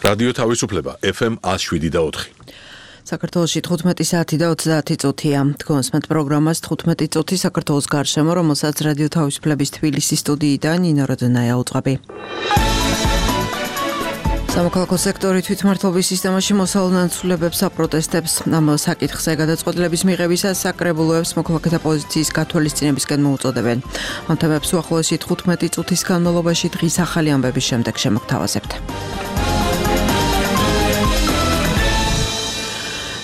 რადიო თავისუფლება FM 107.4. საქართველოში 15 საათი და 30 წუთია. თქვენსმეთ პროგრამას 15 წუთი საქართველოს გარშემო, რომელსაც რადიო თავისუფლების თბილისის სტუდიიდან ნინო როდნაია უწყობი. სამოქალაქო სექტორი თვითმმართველობის სისტემაში მოსალოდნელობებს აპროტესტებს. ამ საკითხზე გადაწყვეტილების მიღებისას საკრებულოებს მოქალაქეთა პოზიციის გათვალისწინებისკენ მოუწოდებენ. ამ თემებს უახლოესი 15 წუთის განმავლობაში დღის ახალი ამბების შემდეგ შემოგთავაზებთ.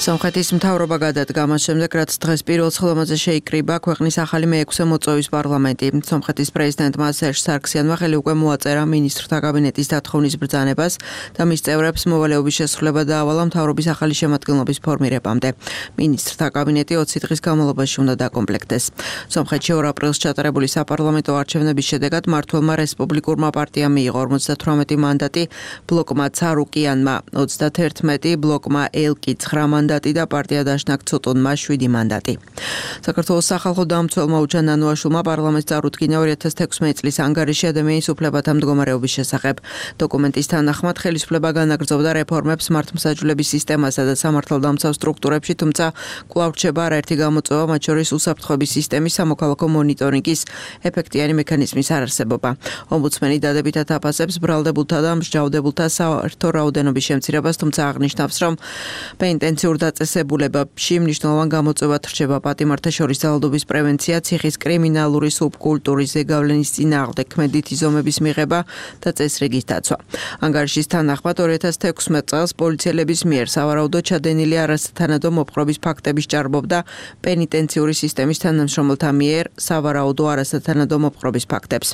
სომხეთის მთავრობა გადადგა მას შემდეგ, რაც დღეს პირველ სხდომაზე შეიკრიბა ქვეყნის ახალი მე-6 მოწვევის პარლამენტი. სომხეთის პრეზიდენტმა სერჟ სარქსიანმა ხელი უკვე მოაწერა მინისტრთა კაბინეტის დათხოვნის ბრძანებას და მის წევრებს მოვალეობის შესრულება დაავალა მთავრობის ახალი შემადგენლობის ფორმირებამდე. მინისტრთა კაბინეტი 20 დღის განმავლობაში უნდა დაკომპლექტდეს. სომხეთში 2 აპრილს ჩატარებული საპარლამენტო არჩევნების შედეგად მმართველმა რესპუბლიკურმა პარტიამ მიიღო 58 მანდატი, ბლოკმა ცარუკიანმა 31, ბლოკმა ელკი 9 მანდატი და პარტია დაშნაკ ცოტონმა 7 მანდატი. საქართველოს სახალხო დამცველმა უჩან ნანუაშვილმა პარლამენტს წარუდგინა 2016 წლის ანგარიში ადამიანის უფლებათა მდგომარეობის შესახებ. დოკუმენტის თანახმად ხელისუფლება განაგრძობდა რეფორმებს მართლმსაჯულების სისტემასა და სამართალდამცავ სტრუქტურებში, თუმცა კვლავ რჩება არაერთი გამოწვევა, მათ შორის უსაფრთხოების სისტემის სამოქალაქო მონიტორინგის ეფექტიანი მექანიზმის არარსებობა. ომბუდსმენი დადებითად აფასებს ბრალდებულთა და მსჯავრდებულთა საერთო რაოდენობის შემცირებას, თუმცა აღნიშნავს, რომ პენიტენციურ დაწესებულებებში მნიშვნელოვან გამოწვევად რჩება პატიმართა შორის ძალადობის პრევენცია, ციხის კრიმინალური სუბკულტურის ზეგავლენის წინააღმდეგ ქმედითი ზომების მიღება და წესრიგის დაცვა. ანგარიშის თანახმად 2016 წელს პოლიციელების მიერ სავარაუდოდ ჩადენილი არასათანადო მოპყრობის ფაქტების ჭარბობდა პენიტენციური სისტემის თანამშრომელთა მიერ სავარაუდო არასათანადო მოპყრობის ფაქტებს.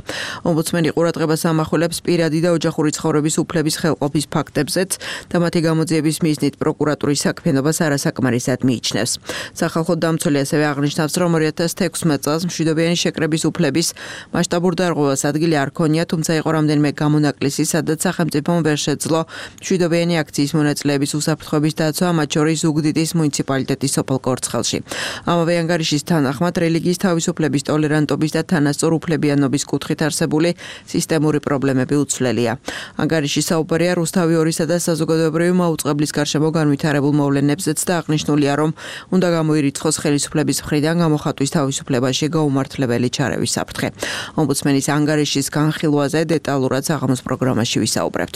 ომბუდსმენი ყურადღებას ამახვილებს პირადი და ოჯახური ცხოვრების უფლების ხელყოფის ფაქტებზეც და მათი გამოძიების მიზნით პროკურატურის საქმიანობას არასაკმარისად მიიჩნევს. სახალხო დამცველი ასევე აღნიშნავს, რომ 2016 წელს მშვიდობიანი შეკრების უფლების მასშტაბურ დარღვევას ადგილი არ ქონია, თუმცა იყო რამდენიმე გამონაკლისი, სადაც სახელმწიფომ ვერ შეძლო მშვიდობიანი აქციის მონაწილეების უსაფრთხოების დაცვა, მათ შორის ზუგდიდის მუნიციპალიტეტის სოფელ კორცხელში. ამავე ანგარიშის თანახმად რელიგიის თავისუფლების, ტოლერანტობის და თანასწორ უფლებიანობის კუთხით არსებული სისტემური პრობლემები უცვლელია. ანგარიში საუბარია რუსთავი 2-სა და საზოგადოებრივი მაუწყებლის გარშემო განვითარებულ მოვლენებზეც და აღნიშნულია, რომ უნდა გამოირიცხოს ხელისუფლების მხრიდან გამოხატვის თავისუფლებაში გაუმართლებელი ჩარევის საფრთხე. ომბუდსმენის ანგარიშის განხილვაზე დეტალურად საღამოს პროგრამაში ვისაუბრებთ.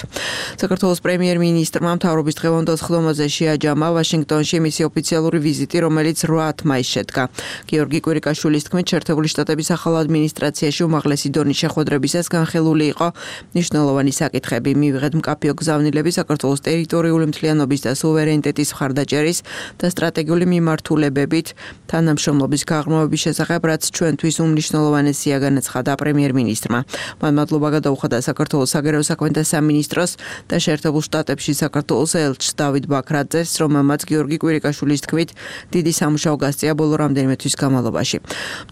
საქართველოს პრემიერ-მინისტრმა მთავრობის დღევანდელ სხდომაზე შეაჯამა ვაშინგტონში მისი ოფიციალური ვიზიტი, რომელიც 8 მაისს შედგა. გიორგი კვირიკაშვილის თქმით, შეერთებული შტატების ახალ ადმინისტრაციაში უმაღლესი დონის შეხვედრებისას განხილული იყო მნიშვნელოვანი საკითხები. მივიღეთ მკაფიო გზავნილები საქართველოს ტერიტორიული მთლიანობის და სუვერენიტეტის მხარდაჭერის და სტრატეგიული მიმართულებებით თანამშრომლობის გაღრმავების შესახებ, რაც ჩვენთვის უმნიშვნელოვანესია, განაცხადა პრემიერ-მინისტრმა. მან მადლობა გადაუხადა საქართველოს საგარეო საქმეთა სამინისტროს და შეერთებულ შტატებში საქართველოს ელჩს დავით ბაქრაძეს, რომელმაც გიორგი კვირიკაშვილის თქმით დიდი სამუშაო გასწია ბოლო რამდენიმე თვის განმავლობაში.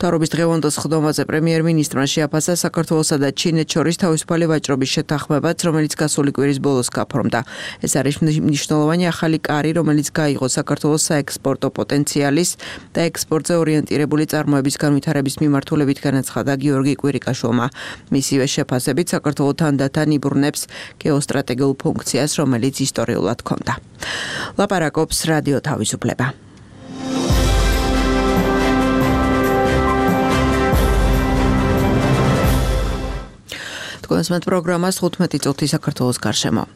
მთავრობის დღევანდელ სხდომაზე პრემიერ-მინისტრმა შეაფასა საქართველოსა და ჩინეთს შორის თავისუფალი ვაჭრობის შეთანხმებაც, რომელიც გასული კვირის ბოლოს გაფორმდა. ეს არის მნიშვნელოვანი ახალი კარი, რომელიც გაიღო საქართველოს საექსპორტო პოტენციალის და ექსპორტზე ორიენტირებული წარმოების განვითარების მიმართულებით, განაცხადა გიორგი კვირიკაშვილმა. მისივე შეფასებით საქართველო თანდათან იბრუნებს გეოსტრატეგიულ ფუნქციას, რომელიც ისტორიულად ჰქონდა. ლაპარაკობს რადიო თავისუფლება. თქვენსმეთ პროგრამას 15 წუთი საქართველოს გარშემო.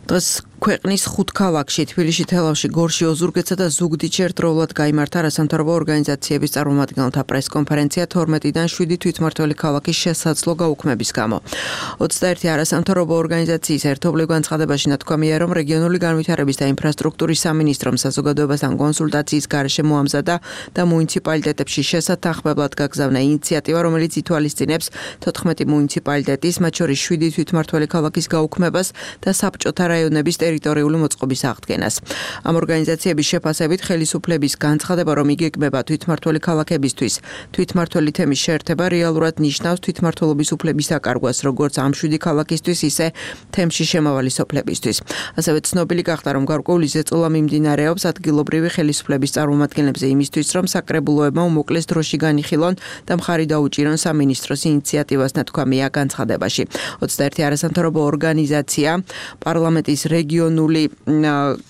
დღეს ქვეყნის 5 ქალაქში, თბილისში, თელავში, გორში, ოზურგეთსა და ზუგდიდში ერთდროულად გაიმართა არასამთავრობო ორგანიზაციების წარმომადგენელთა პრესკონფერენცია 12-დან 7 თვითმმართველი ქალაქის შესაძლო გაუქმების გამო. 21 არასამთავრობო ორგანიზაციის ერთობლივ განცხადებაში ნათქვამია, რომ რეგიონული განვითარების და ინფრასტრუქტურის სამინისტრომ საზოგადოებასთან კონსულტაციის გარეშე მოამზადა და მუნიციპალიტეტებში შესათანხმებლად გაგზავნა ინიციატივა, რომელიც ითვალისწინებს 14 მუნიციპალიტეტის, მათ შორის 7 თვითმმართველი ქალაქის გაუქმებას და საბჭოთა რაიონების ტერიტორიული მოწყობის აღდგენას. Ამ ორგანიზაციების შეფასებით ხელისუფლების განცხადება, რომ იგეგმება თვითმმართველი ქალაქებისთვის თვითმმართველი თემის შეერთება რეალურად ნიშნავს თვითმმართველობის უფლების აკარგვას, როგორც ამ 7 ქალაქისთვის, ისე თემში შემავალი სოფლებისთვის. ასევე ცნობილი გახდა, რომ გარკვეული ზეწოლა მიმდინარეობს ადგილობრივი ხელისუფლების წარმომადგენლებზე იმისთვის, რომ საკრებულოებმა უმოკლეს დროში განიხილონ და მხარი დაუჭირონ სამინისტროს ინიციატივას, ნათქვამია განცხადებაში. 21 არასამთავრობო ორგანიზაცია პარლამენტის რეგიონული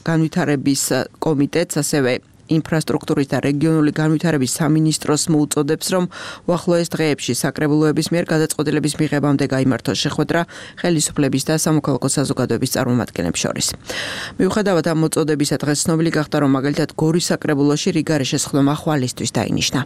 განვითარების კომიტეტს, ასევე ინფრასტრუქტურის და რეგიონული განვითარების სამინისტროს მოუწოდებს, რომ უახლოეს დღეებში საკრებულოების მიერ გადაწყვეტილების მიღებამდე გაიმართოს შეხვედრა ხელისუფლების და სამოქალაქო საზოგადოების წარმომადგენლებს შორის. მიუხედავად ამ მოწოდებისა, დღეს ცნობილი გახდა, რომ მაგალითად გორის საკრებულოში რიგარი შესხდომა ხვალისთვის დაინიშნა.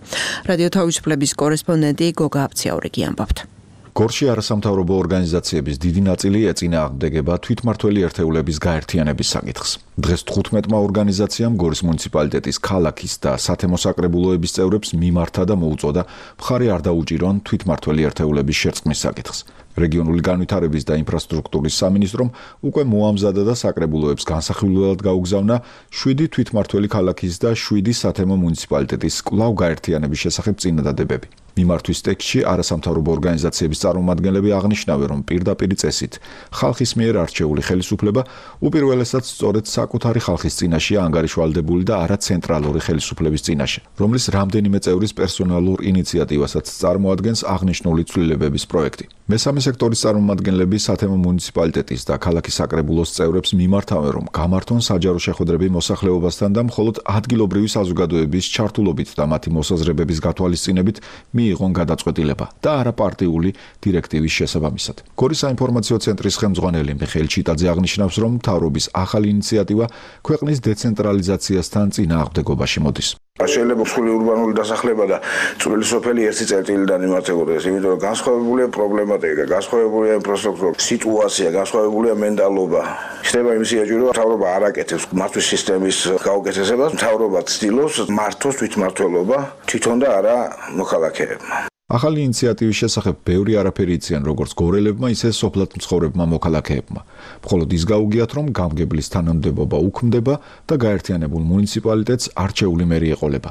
რადიო თავისუფლების კორესპონდენტი გოგა აბციაურიგი ამბობთ. გორში არასამთავრობო ორგანიზაციების დიდი ნაწილი ეწინააღმდეგება თვითმმართველი ერთეულების გაერთიანების საკითხს. დღეს 15-მა ორგანიზაციამ გორის მუნიციპალიტეტის ქალაქის და სათემო საკრებულოების წევრებს მიმართა და მოუწოდა მხარი არ დაუჭირონ თვითმმართველი ერთეულების შერწყმის საკითხს. რეგიონული განვითარების და ინფრასტრუქტურის სამინისტრომ უკვე მოამზადა და საკრებულოებს განსახილველად გაუგზავნა 7 თვითმმართველი ქალაქის და 7 სათემო მუნიციპალიტეტის კვლავ გაერთიანების შესახებ წინადადებები. მიმართვის ტექსტში არასამთავრობო ორგანიზაციების წარმომადგენლები აღნიშნავენ, რომ პირდაპირ წესით ხალხის მიერ არჩეული ხელისუფლება უპირველესად სწორედ საკუთარი ხალხის წინაშეა ანგარიშვალდებული და არა ცენტრალური ხელისუფლების წინაშე, რომლის რამდენიმე წევრის პერსონალურ ინიციატივასაც წარმოადგენს აღნიშნული ცვლილებების პროექტი. მესამე სექტორის წარმომადგენლები სათემო მუნიციპალიტეტის და ქალაქის საკრებულოს წევრებს მიმართავენ, რომ გამართონ საჯარო შეხვედრები მოსახლეობასთან და მხოლოდ ადგილობრივი საზოგადოების ჩართულობით და მათი მოსაზრებების გათვალისწინებით მიიღონ გადაწყვეტილება და არა პარტიული დირექტივის შესაბამისად. გორის საინფორმაციო ცენტრის ხელმძღვანელი მიხეილ ჩიტაძე აღნიშნავს, რომ მთავრობის ახალი ინიციატივა ქვეყნის დეცენტრალიზაციასთან წინააღმდეგობაში მოდის. შეიძლება მსხვილი ურბანული დასახლება და წვრილი სოფელი ერთი წერტილიდან იმართებოდეს, იმიტომ რომ განსხვავებულია პრობლემატიკა, განსხვავებულია ინფრასტრუქტურა, სიტუაცია, განსხვავებულია მენტალობა. ხდება იმის იაჭვი, რომ მთავრობა არ აკეთებს მართვის სისტემის გაუკეთესებას, მთავრობა ცდილობს მართოს თვითმმართველობა თვითონ და არა მოქალაქეებმა. ახალი ინიციატივის შესახებ ბევრი არაფერი იციან როგორც გორელებმა, ისე სოფლად მცხოვრებმა მოქალაქეებმა. მხოლოდ ის გაუგიათ, რომ გამგებლის თანამდებობა უქმდება და გაერთიანებულ მუნიციპალიტეტს არჩეული მერი ეყოლება.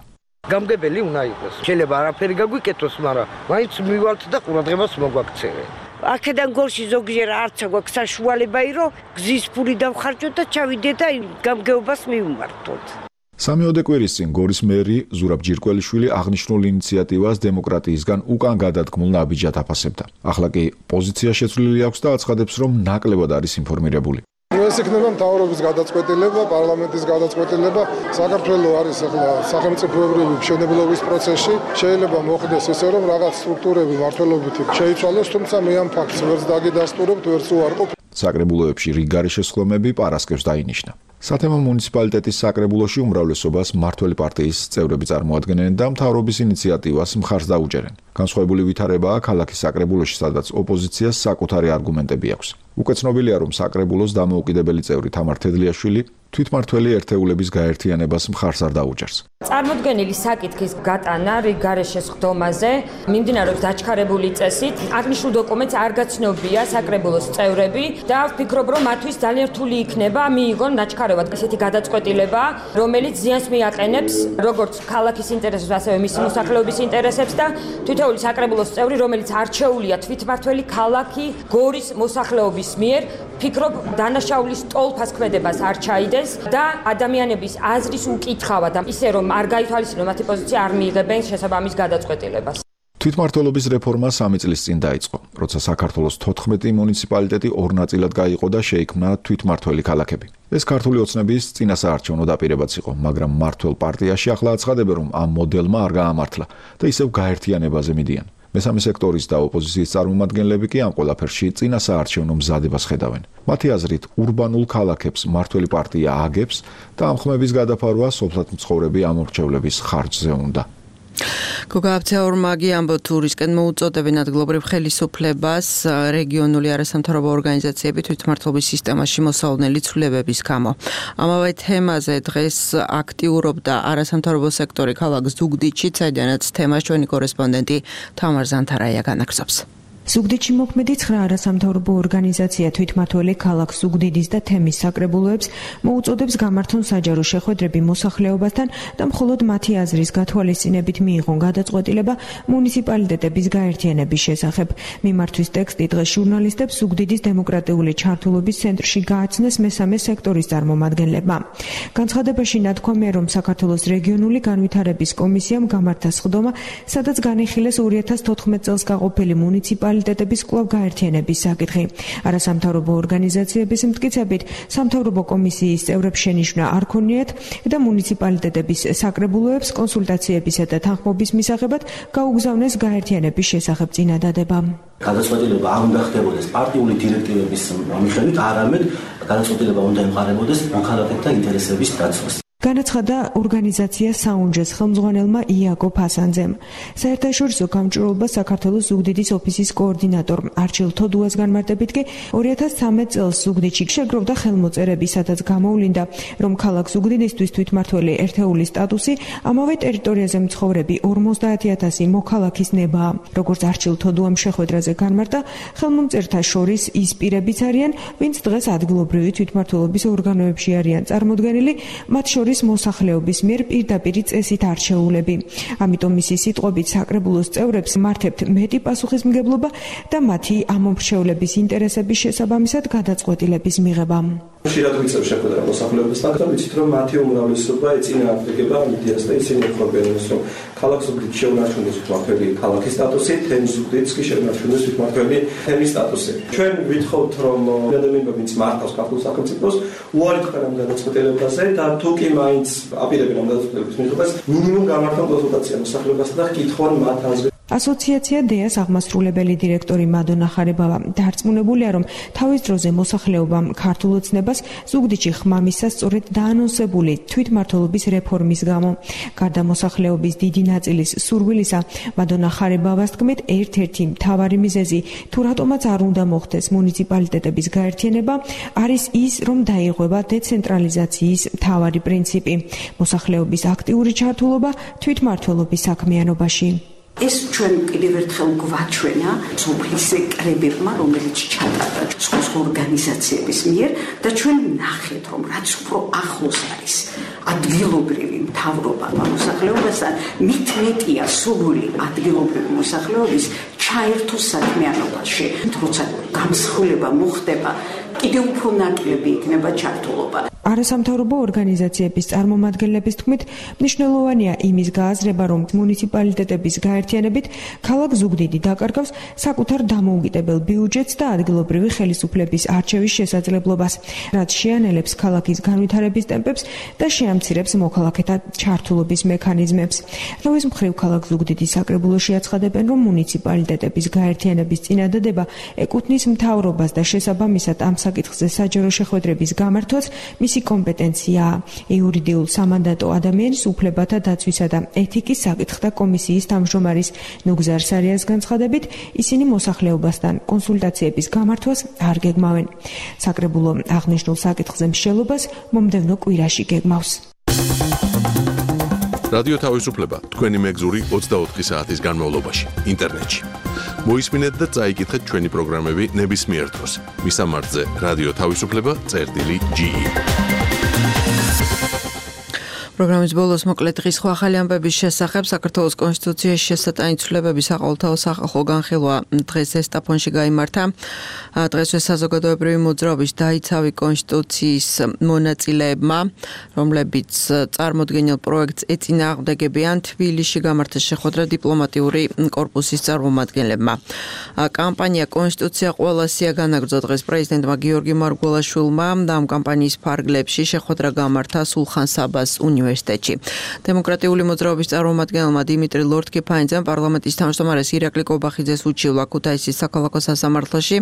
გამგებელი უნდა იყოს. შეიძლება არაფერი გაგვიკეთოს, მაგრამ მაინც მივალთ და ყურადღებას მოგვაქცევენ. აქედან გორში ზოგჯერ არც აქვს საშუალება, რომ გზის ფული დავხარჯოთ და ჩავიდე და გამგეობას მივმართოთ. 3 კვირის წინ გორის მერი ზურაბ ჯირკველიშვილი აღნიშნულ ინიციატივას დემოკრატიისგან უკან გადადგმულ ნაბიჯად აფასებდა. ახლა კი პოზიცია შეცვლილი აქვს და აცხადებს, რომ ნაკლებად არის ინფორმირებული. ეს იქნება მთავრობის გადაწყვეტილება, პარლამენტის გადაწყვეტილება. საქართველოს არის ახლა სახელმწიფოებრივი მშენებლობის პროცესში. შეიძლება მოხდეს ისე, რომ რაღაც სტრუქტურები მართლობითი შეიცვალოს, თუმცა მე ამ ფაქტს ვერც დაგიდასტურებ, ვერც უარყოფ. საკრებულოებში რიგარი შესხდომები პარასკევს დაინიშნა. სათემო მუნიციპალიტეტის საკრებულოში უმრავლესობას მმართველი პარტიის წევრები წარმოადგენენ და მთავრობის ინიციატივას მხარს დაუჭერენ. განსხვავებული ვითარებაა ქალაქის საკრებულოში, სადაც ოპოზიციას საკუთარი არგუმენტები აქვს. უკვე ცნობილია, რომ საკრებულოს დამოუკიდებელი წევრი თამარ თედლიაშვილი თვითმმართველი ერთეულების გაერთიანებას მხარს არ დაუჭერს. წარმოდგენილი საკითხის გატანა რიგარე შესხდომაზე მიმდინარეობს დაჩქარებული წესით. აღნიშნულ დოკუმენტს არ გაცნობია საკრებულოს წევრები და ვფიქრობ, რომ მათთვის ძალიან რთული იქნება მიიღონ დაჩქარებად ესეთი გადაწყვეტილება, რომელიც ზიანს მიაყენებს როგორც ქალაქის ინტერესებს, ასევე მისი მოსახლეობის ინტერესებს და თითოეული საკრებულოს წევრი, რომელიც არჩეულია თვითმმართველი ქალაქი გორის მოსახლეობის მიერ, ფიქრობ დანაშაულის ტოლფას ქმედებას არ ჩაიდეს და ადამიანების აზრის უკითხავად და ისე რომ არ გაითვალისწინონ მათი პოზიცია არ მიიღებენ შესაბამის გადაწყვეტილებას. თვითმმართველობის რეფორმა 3 წლის წინ დაიწყო, როცა საქართველოს 14 მუნიციპალიტეტი ორ ნაწილად გაიყო და შეიქმნა თვითმმართველი ქალაქები. ეს ქართული ოცნების წინასაარჩევნო დაპირებაც იყო, მაგრამ მმართველ პარტიაში ახლა აცხადებენ, რომ ამ მოდელმა არ გაამართლა და ისევ გაერთიანებაზე მიდიან. მესამე სექტორის და ოპოზიციის წარმომადგენლები კი ამ ყველაფერში წინასაარჩევნო მზადებას ხედავენ. მათი აზრით, ურბანულ ქალაქებს მმართველი პარტია აგებს და ამ ხმების გადაფარვა სოფლად მცხოვრები ამორჩევლების ხარჯზე უნდა. გოგა აბციაურიგი ამბობთ, რისკენ მოუწოდებენ ადგილობრივ ხელისუფლებას რეგიონული არასამთავრობო ორგანიზაციები თვითმმართველობის სისტემაში მოსალოდნელი ცვლილებების გამო. ამავე თემაზე დღეს აქტიურობდა არასამთავრობო სექტორი ქალაქ ზუგდიდში, საიდანაც თემას ჩვენი კორესპონდენტი თამარ ზანთარაია განაგზობს. ზუგდიდში მოქმედი 9 არასამთავრობო ორგანიზაცია თვითმმართველი ქალაქ ზუგდიდის და თემის საკრებულოებს მოუწოდებს გამართონ საჯარო შეხვედრები მოსახლეობასთან და მხოლოდ მათი აზრის გათვალისწინებით მიიღონ გადაწყვეტილება მუნიციპალიტეტების გაერთიანების შესახებ. მიმართვის ტექსტი დღეს ჟურნალისტებს ზუგდიდის დემოკრატიული ჩართულობის ცენტრში გააცნეს მესამე სექტორის წარმომადგენლებმა. განცხადებაში ნათქვამია, რომ საქართველოს რეგიონული განვითარების კომისიამ გამართა სხდომა, სადაც განიხილეს 2014 წელს გაყოფილი მუნიციპალიტეტების კვლავ გაერთიანების საკითხი. არასამთავრობო ორგანიზაციების მტკიცებით, სამთავრობო კომისიის წევრებს შენიშვნა არ ქონიათ და მუნიციპალიტეტების საკრებულოებს კონსულტაციებისა და თანხმობის მისაღებად გაუგზავნეს გაერთიანების შესახებ წინადადება. გადაწყვეტილება არ უნდა ხდებოდეს პარტიული დირექტივების მიხედვით, არამედ გადაწყვეტილება უნდა ემყარებოდეს მოქალაქეთა ინტერესების დაცვას. განაცხადა ორგანიზაცია საუნჯეს ხელმძღვანელმა იაკობ ჰასანძემ. საერთაშორისო გამჭვირვალობა საქართველოს ზუგდიდის ოფისის კოორდინატორ არჩილ თოდუას განმარტებით კი 2013 წელს ზუგდიდში შეგროვდა ხელმოწერები, სადაც გამოვლინდა, რომ ქალაქ ზუგდიდისთვის თვითმმართველი ერთეულის სტატუსი ამავე ტერიტორიაზე მცხოვრები 50,000 მოქალაქის ნებაა. როგორც არჩილ თოდუამ შეხვედრაზე განმარტა, ხელმომწერთა შორის ის პირებიც არიან, ვინც დღეს ადგილობრივი თვითმმართველობის ორგანოებში არიან წარმოდგენილი, მათ შორის მოსახლეობის მიერ პირდაპირი წესით არჩეულები. ამიტომ მისი სიტყვებით საკრებულოს წევრებს მართებთ მეტი პასუხისმგებლობა და მათი ამომრჩევლების ინტერესების შესაბამისად გადაწყვეტილების მიღება. ხშირად ვიწევ შეხვედრა მოსახლეობასთან და ვიცით, რომ მათი უმრავლესობა ეწინააღმდეგება ამ იდეას და ისინი ეხმარებიან, რომ ქალაქ ზუგდიდში შეუნარჩუნდეს თვითმმართველი ქალაქის სტატუსი, თემის ზუგდიდს კი შეუნარჩუნდეს თვითმმართველი თემის სტატუსი. ჩვენ ვითხოვთ, რომ ადამიანები, ვინც მართავს ქართულ სახელმწიფოს, უარი თქვენ ამ გადაწყვეტილებაზე და თუ კი მაინც აპირებენ ამ გადაწყვეტილების მიღებას, მინიმუმ გამართონ კონსულტაცია მოსახლეობასთან და კითხონ მათ აზრს. ასოციაცია დეას აღმასრულებელი დირექტორი მადონა ხარებავა დარწმუნებულია, რომ თავის დროზე მოსახლეობამ ქართულ ოცნებას ზუგდიდში ხმამისას სწორედ დაანონსებული თვითმმართველობის რეფორმის გამო. გარდა მოსახლეობის დიდი ნაწილის სურვილისა, მადონა ხარებავას თქმით, ერთ-ერთი მთავარი მიზეზი, თუ რატომაც არ უნდა მოხდეს მუნიციპალიტეტების გაერთიანება, არის ის, რომ დაიღუება დეცენტრალიზაციის მთავარი პრინციპი, მოსახლეობის აქტიური ჩართულობა თვითმმართველობის საქმიანობაში. ეს ჩვენ კიდევ ერთხელ გვაჩვენა სოფლის კრებებმა, რომელიც ჩატარდა სხვა ორგანიზაციების მიერ და ჩვენ ნახეთ, რომ რაც უფრო ახლოს არის ადგილობრივი მთავრობა მოსახლეობასთან, მით მეტია სურვილი ადგილობრივი მოსახლეობის ჩაერთოს საქმიანობაში. როცა გამსხვილება მოხდება, კიდევ უფრო ნაკლები იქნება ჩართულობა. არასამთავრობო ორგანიზაციების წარმომადგენლების თქმით, მნიშვნელოვანია იმის გააზრება, რომ მუნიციპალიტეტების გაერთიანებით ქალაქ ზუგდიდი დაკარგავს საკუთარ დამოუკიდებელ ბიუჯეტს და ადგილობრივი ხელისუფლების არჩევის შესაძლებლობას, რაც შეანელებს ქალაქის განვითარების ტემპებს და შეამცირებს მოქალაქეთა ჩართულობის მექანიზმებს. თავის მხრივ ქალაქ ზუგდიდის საკრებულოში აცხადებენ, რომ მუნიციპალიტეტების გაერთიანების წინადადება ეკუთვნის მთავრობას და შესაბამისად ამ საკითხზე საჯარო შეხვედრების გამართვაც მისი კომპეტენციაა. იურიდიულ სამანდატო ადამიანის უფლებათა დაცვისა და ეთიკის საკითხთა კომისიის თავმჯდომარის ნუგზარ სარიას განცხადებით, ისინი მოსახლეობასთან კონსულტაციების გამართვას არ გეგმავენ. საკრებულო აღნიშნულ საკითხზე მსჯელობას მომდევნო კვირაში გეგმავს. რადიო თავისუფლება თქვენი მეგზური 24 საათის განმავლობაში ინტერნეტში. მოისმინეთ და წაიკითხეთ ჩვენი პროგრამები ნებისმიერ დროს. მისამართზე რადიო თავისუფლება.ge. პროგრამის ბოლოს მოკლედ დღის სხვა ახალი ამბების შესახებ საქართველოს კონსტიტუციაში შესატანი ცვლილებების საყოველთაო სახალხო განხილვა დღეს ესტაფონში გაიმართა. დღესვე საზოგადოებრივი მოძრაობის დაიცავი კონსტიტუციის მონაწილეებმა, რომლებიც წარმოდგენილ პროექტს ეწინააღმდეგებიან, თბილისში გამართა შეხვედრა დიპლომატიური კორპუსის წარმომადგენლებმა. კამპანია კონსტიტუცია ყველასია განაგრძო დღეს პრეზიდენტმა გიორგი მარგველაშვილმა და ამ კამპანიის ფარგლებში შეხვედრა გამართა სულხან საბას უნივერსიტეტში. დემოკრატიული მოძრაობის წარმომადგენელმა დიმიტრი ლორთქიფანიძემ პარლამენტის თავმჯდომარეს ირაკლი კობახიძეს უჩივლა ქუთაისის საქალაქო სასამართლოში.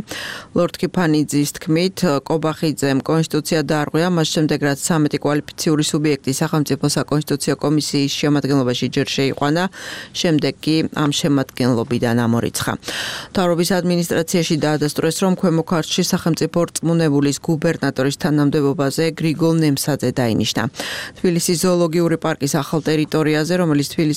ლორთქიფანიძის თქმით, კობახიძემ კონსტიტუცია დაარღვია, მას შემდეგ რაც 13 კვალიფიციური სუბიექტი სახელმწიფო საკონსტიტუციო კომისიის შემადგენლობაში ჯერ შეიყვანა, შემდეგ კი ამ შემადგენლობიდან ამორიცხა. მთავრობის ადმინისტრაციაში დაადასტურეს, რომ ქვემო ქართლში სახელმწიფო რწმუნებულის გუბერნატორის თანამდებობაზე გრიგოლ ნემსაძე დაინიშნა. თბილისის ზოოლოგიური პარკის ახალ ტერიტორიაზე, რომელიც თბილისის